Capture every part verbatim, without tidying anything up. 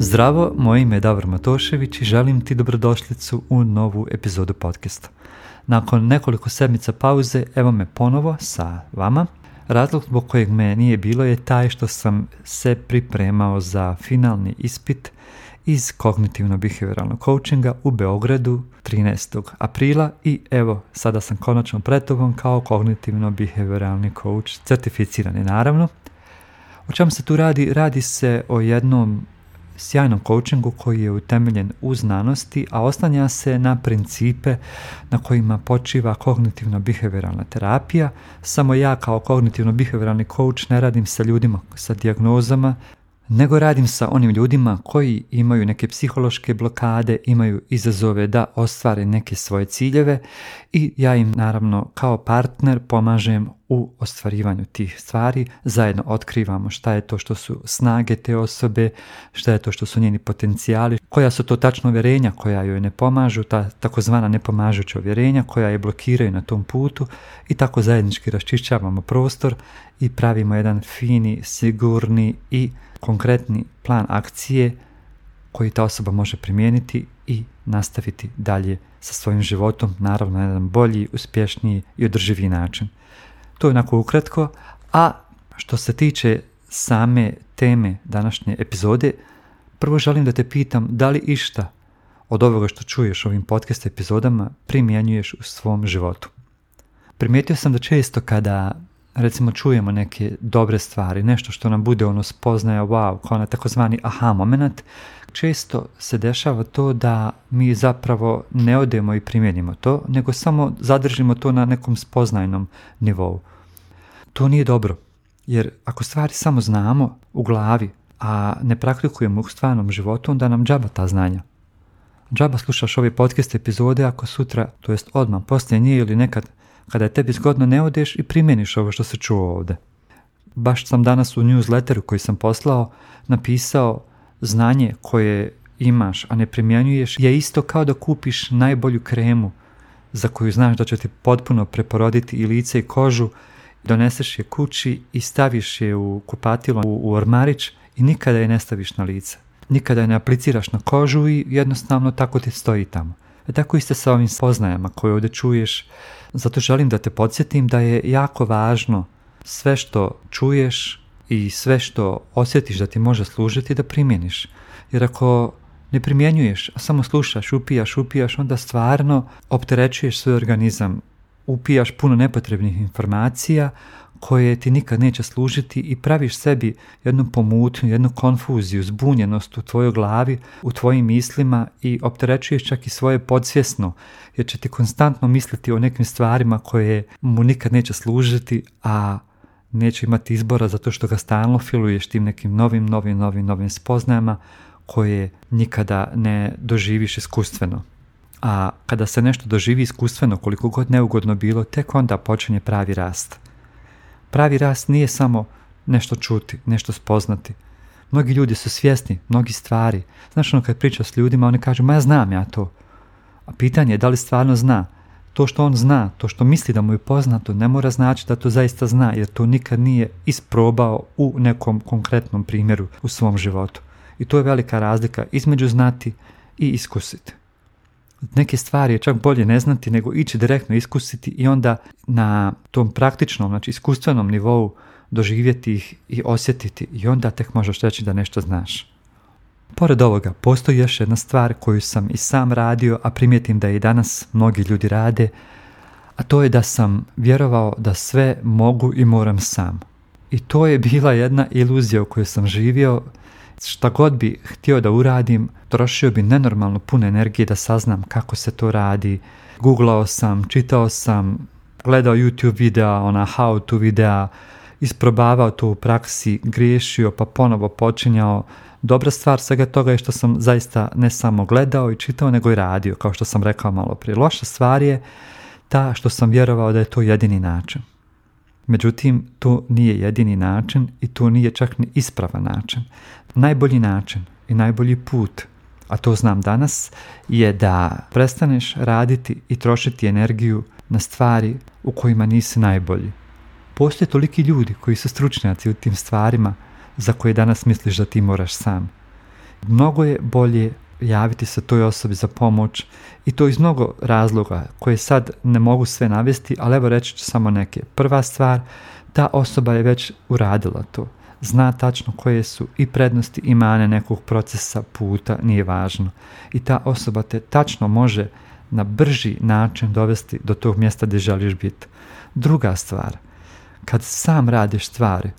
Zdravo, moje ime je Davor Matošević i želim ti dobrodošlicu u novu epizodu podcasta. Nakon nekoliko sedmica pauze, evo me ponovo sa vama. Razlog zbog kojeg me nije bilo je taj što sam se pripremao za finalni ispit iz kognitivno-behavioralnog coachinga u Beogradu trinaestog aprila i evo, sada sam konačno pred tobom kao kognitivno-behavioralni coach, certificirani naravno. O čemu se tu radi? Radi se o jednom sjajnom coachingu koji je utemeljen u znanosti, a oslanja se na principe na kojima počiva kognitivno-behavioralna terapija. Samo ja kao kognitivno-behavioralni coach ne radim sa ljudima sa dijagnozama, nego radim sa onim ljudima koji imaju neke psihološke blokade, imaju izazove da ostvare neke svoje ciljeve i ja im naravno kao partner pomažem u ostvarivanju tih stvari. Zajedno otkrivamo šta je to što su snage te osobe, šta je to što su njeni potencijali, koja su to tačno uvjerenja koja joj ne pomažu, ta takozvana nepomažuća uvjerenja koja je blokiraju na tom putu i tako zajednički raščišćavamo prostor i pravimo jedan fini, sigurni i konkretni plan akcije koji ta osoba može primijeniti i nastaviti dalje sa svojim životom, naravno na jedan bolji, uspješniji i održiviji način. To je onako ukratko, a što se tiče same teme današnje epizode, prvo želim da te pitam da li išta od ovoga što čuješ u ovim podcast epizodama primjenjuješ u svom životu. Primijetio sam da često kada recimo čujemo neke dobre stvari, nešto što nam bude ono spoznaja, wow, kao na takozvani aha moment, često se dešava to da mi zapravo ne odemo i primjenimo to, nego samo zadržimo to na nekom spoznajnom nivou. To nije dobro, jer ako stvari samo znamo u glavi, a ne praktikujemo u stvarnom životu, onda nam džaba ta znanja. Džaba slušaš ove podcast epizode ako sutra, to jest odmah, poslije nje ili nekad kada je tebi zgodno ne odeš i primjeniš ovo što se čuo ovdje. Baš sam danas u newsletteru koji sam poslao napisao znanje koje imaš, a ne primjenjuješ je isto kao da kupiš najbolju kremu za koju znaš da će ti potpuno preporoditi i lice i kožu, doneseš je kući i staviš je u kupatilo, u, u ormarić i nikada je ne staviš na lice. Nikada je ne apliciraš na kožu i jednostavno tako ti stoji tamo. E tako isto sa ovim spoznajama koje ovdje čuješ. Zato želim da te podsjetim da je jako važno sve što čuješ i sve što osjetiš da ti može služiti da primjeniš. Jer ako ne primjenjuješ, a samo slušaš, upijaš, upijaš, onda stvarno opterećuješ svoj organizam. Upijaš puno nepotrebnih informacija koje ti nikad neće služiti i praviš sebi jednu pomutnju, jednu konfuziju, zbunjenost u tvojoj glavi, u tvojim mislima i opterećuješ čak i svoje podsvjesno, jer će ti konstantno misliti o nekim stvarima koje mu nikad neće služiti, a neće imati izbora zato što ga stalno filuješ tim nekim novim, novim, novim, novim spoznajama koje nikada ne doživiš iskustveno. A kada se nešto doživi iskustveno, koliko god neugodno bilo, tek onda počinje pravi rast. Pravi rast nije samo nešto čuti, nešto spoznati. Mnogi ljudi su svjesni, mnogi stvari. Znaš ono kad pričaš s ljudima, oni kažu, ma ja znam ja to. A pitanje je da li stvarno zna. To što on zna, to što misli da mu je poznato, ne mora znači da to zaista zna, jer to nikad nije isprobao u nekom konkretnom primjeru u svom životu. I to je velika razlika između znati i iskusiti. Neke stvari je čak bolje ne znati nego ići direktno iskusiti i onda na tom praktičnom, znači iskustvenom nivou doživjeti ih i osjetiti i onda tek možeš reći da nešto znaš. Pored ovoga, postoji još jedna stvar koju sam i sam radio, a primijetim da i danas mnogi ljudi rade, a to je da sam vjerovao da sve mogu i moram sam. I to je bila jedna iluzija u kojoj sam živio. Šta god bi htio da uradim, trošio bi nenormalno puno energije da saznam kako se to radi. Googlao sam, čitao sam, gledao YouTube videa, ona how to videa, isprobavao to u praksi, griješio pa ponovo počinjao. Dobra stvar svega toga je što sam zaista ne samo gledao i čitao, nego i radio, kao što sam rekao malo prije. Loša stvar je ta što sam vjerovao da je to jedini način. Međutim, to nije jedini način i to nije čak ni ispravan način. Najbolji način i najbolji put, a to znam danas, je da prestaneš raditi i trošiti energiju na stvari u kojima nisi najbolji. Postoje toliki ljudi koji su stručnjaci u tim stvarima za koje danas misliš da ti moraš sam. mnogo je bolje javiti se toj osobi za pomoć i to iz mnogo razloga koje sad ne mogu sve navesti, ali evo reći ću samo neke. Prva stvar, ta osoba je već uradila to. Zna tačno koje su i prednosti i mane nekog procesa, puta, nije važno. I ta osoba te tačno može na brži način dovesti do tog mjesta gdje želiš biti. Druga stvar, kad sam radiš stvari,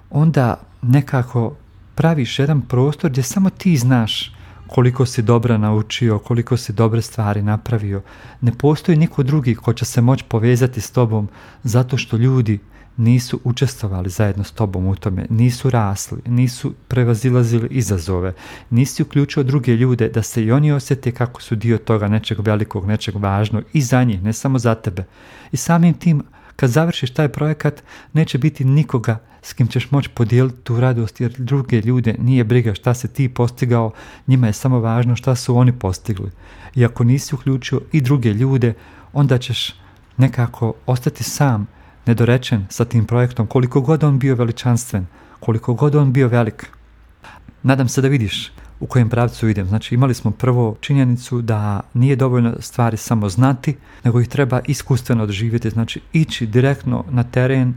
onda nekako praviš jedan prostor gdje samo ti znaš koliko si dobro naučio, koliko si dobre stvari napravio. Ne postoji niko drugi ko će se moći povezati s tobom zato što ljudi nisu učestvovali zajedno s tobom u tome, nisu rasli, nisu prevazilazili izazove, nisi uključio druge ljude da se i oni osjete kako su dio toga nečeg velikog, nečeg važnog i za njih, ne samo za tebe. I samim tim, kad završiš taj projekat, neće biti nikoga s kim ćeš moći podijeliti tu radost, jer druge ljude nije briga šta si ti postigao, njima je samo važno šta su oni postigli. I ako nisi uključio i druge ljude, onda ćeš nekako ostati sam, nedorečen sa tim projektom, koliko god on bio veličanstven, koliko god on bio velik. Nadam se da vidiš u kojem pravcu idem. Znači, imali smo prvo činjenicu da nije dovoljno stvari samo znati, nego ih treba iskustveno doživjeti, znači ići direktno na teren,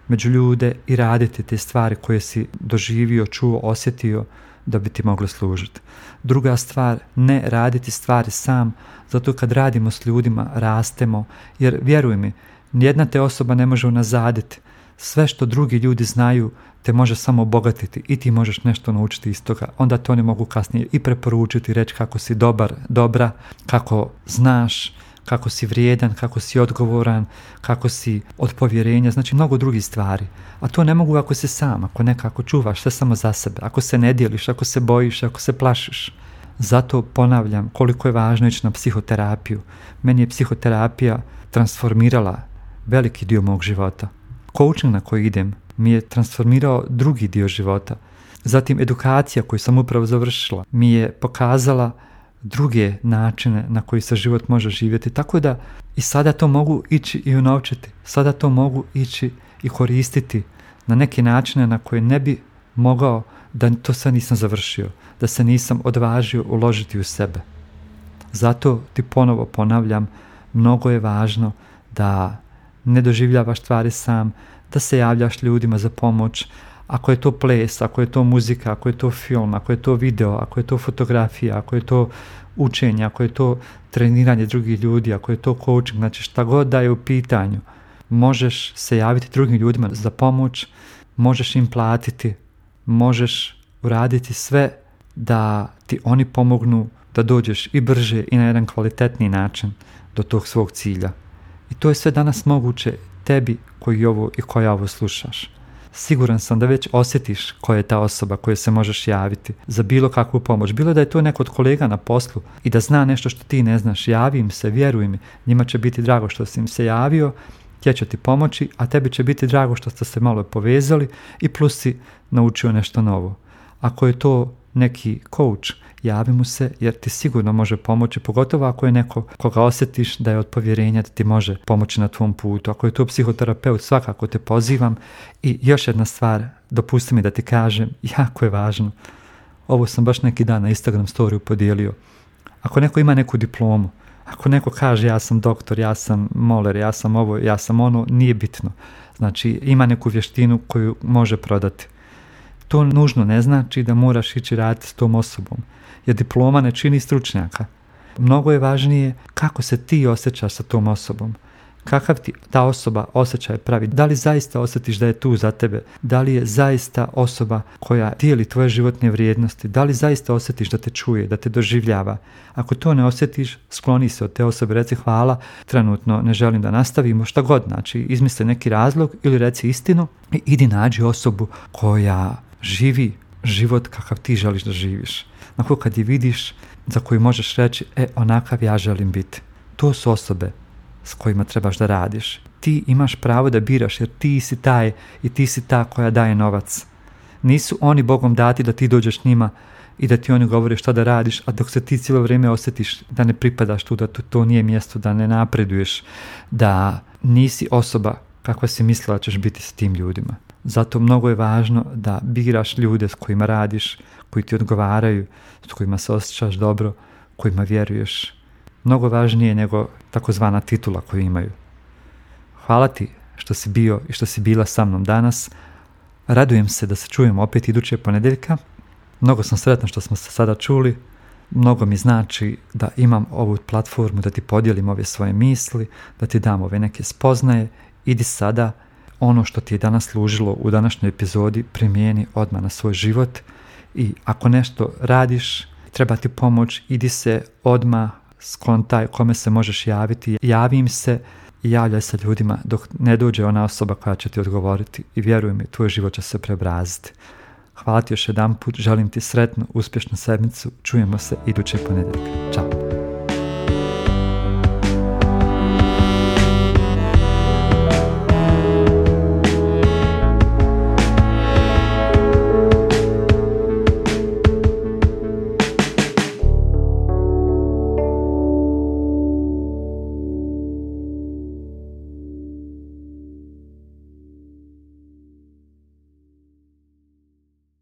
među ljude i raditi te stvari koje si doživio, čuo, osjetio da bi ti mogli služiti. Druga stvar, ne raditi stvari sam, zato kad radimo s ljudima, rastemo, jer vjeruj mi, nijedna te osoba ne može unazaditi. Sve što drugi ljudi znaju te može samo obogatiti i ti možeš nešto naučiti iz toga. Onda te oni mogu kasnije i preporučiti, reći kako si dobar, dobra, kako znaš, kako si vrijedan, kako si odgovoran, kako si od povjerenja, znači mnogo drugih stvari. A to ne mogu ako si sam, ako nekako čuvaš sve samo za sebe, ako se ne dijeliš, ako se bojiš, ako se plašiš. Zato ponavljam koliko je važno ići na psihoterapiju. Meni je psihoterapija transformirala veliki dio mog života. Coaching na koji idem mi je transformirao drugi dio života. Zatim edukacija koju sam upravo završila mi je pokazala druge načine na koji se život može živjeti. Tako da i sada to mogu ići i unovčiti. Sada to mogu ići i koristiti na neke načine na koje ne bi mogao da to sve nisam završio, da se nisam odvažio uložiti u sebe. Zato ti ponovo ponavljam, mnogo je važno da ne doživljavaš stvari sam, da se javljaš ljudima za pomoć. Ako je to ples, ako je to muzika, ako je to film, ako je to video, ako je to fotografija, ako je to učenje, ako je to treniranje drugih ljudi, ako je to coaching, znači šta god da je u pitanju, možeš se javiti drugim ljudima za pomoć, možeš im platiti, možeš uraditi sve da ti oni pomognu da dođeš i brže i na jedan kvalitetniji način do tog svog cilja. I to je sve danas moguće tebi koji ovo i koja ovo slušaš. Siguran sam da već osjetiš koja je ta osoba kojoj se možeš javiti za bilo kakvu pomoć. Bilo da je to neko od kolega na poslu i da zna nešto što ti ne znaš, javi im se, vjeruj mi, njima će biti drago što si im se javio, tje će ti pomoći, a tebi će biti drago što ste se malo povezali i plus si naučio nešto novo. Ako je to neki coach, javi mu se jer ti sigurno može pomoći, pogotovo ako je neko koga osjetiš da je od povjerenja da ti može pomoći na tvom putu. Ako je to psihoterapeut, svakako te pozivam. I još jedna stvar, dopusti mi da ti kažem, jako je važno. Ovo sam baš neki dan na Instagram storiju podijelio. Ako neko ima neku diplomu, ako neko kaže ja sam doktor, ja sam moler, ja sam ovo, ja sam ono, nije bitno. Znači ima neku vještinu koju može prodati. To nužno ne znači da moraš ići raditi s tom osobom, jer diploma ne čini stručnjaka. Mnogo je važnije kako se ti osjećaš sa tom osobom, kakav ti ta osoba osjećaj pravi, da li zaista osjetiš da je tu za tebe, da li je zaista osoba koja dijeli tvoje životne vrijednosti, da li zaista osjetiš da te čuje, da te doživljava. Ako to ne osjetiš, skloni se od te osobe, reci hvala, trenutno ne želim da nastavimo, šta god, znači izmisli neki razlog ili reci istinu i idi nađi osobu koja živi život kakav ti želiš da živiš. Nakon kad je vidiš, za koju možeš reći, e, onakav ja želim biti. To su osobe s kojima trebaš da radiš. Ti imaš pravo da biraš jer ti si taj i ti si ta koja daje novac. Nisu oni Bogom dati da ti dođeš njima i da ti oni govore šta da radiš, a dok se ti cijelo vrijeme osjetiš da ne pripadaš tu, da to, to nije mjesto, da ne napreduješ, da nisi osoba kakva si mislila ćeš biti s tim ljudima. Zato mnogo je važno da biraš ljude s kojima radiš, koji ti odgovaraju, s kojima se osjećaš dobro, kojima vjeruješ. Mnogo važnije nego takozvana titula koju imaju. Hvala ti što si bio i što si bila sa mnom danas. Radujem se da se čujemo opet iduće ponedjeljka. Mnogo sam sretna što smo se sada čuli. Mnogo mi znači da imam ovu platformu, da ti podijelim ove svoje misli, da ti dam ove neke spoznaje. Idi sada ono što ti je danas služilo u današnjoj epizodi, primijeni odmah na svoj život. I ako nešto radiš, treba ti pomoć, idi se odmah, skontaj kome se možeš javiti. Javi im se i javljaj se ljudima dok ne dođe ona osoba koja će ti odgovoriti. I vjeruj mi, tvoj život će se preobraziti. Hvala ti još jedan put, želim ti sretnu, uspješnu sedmicu. Čujemo se idućeg ponedjeljka. Ćao.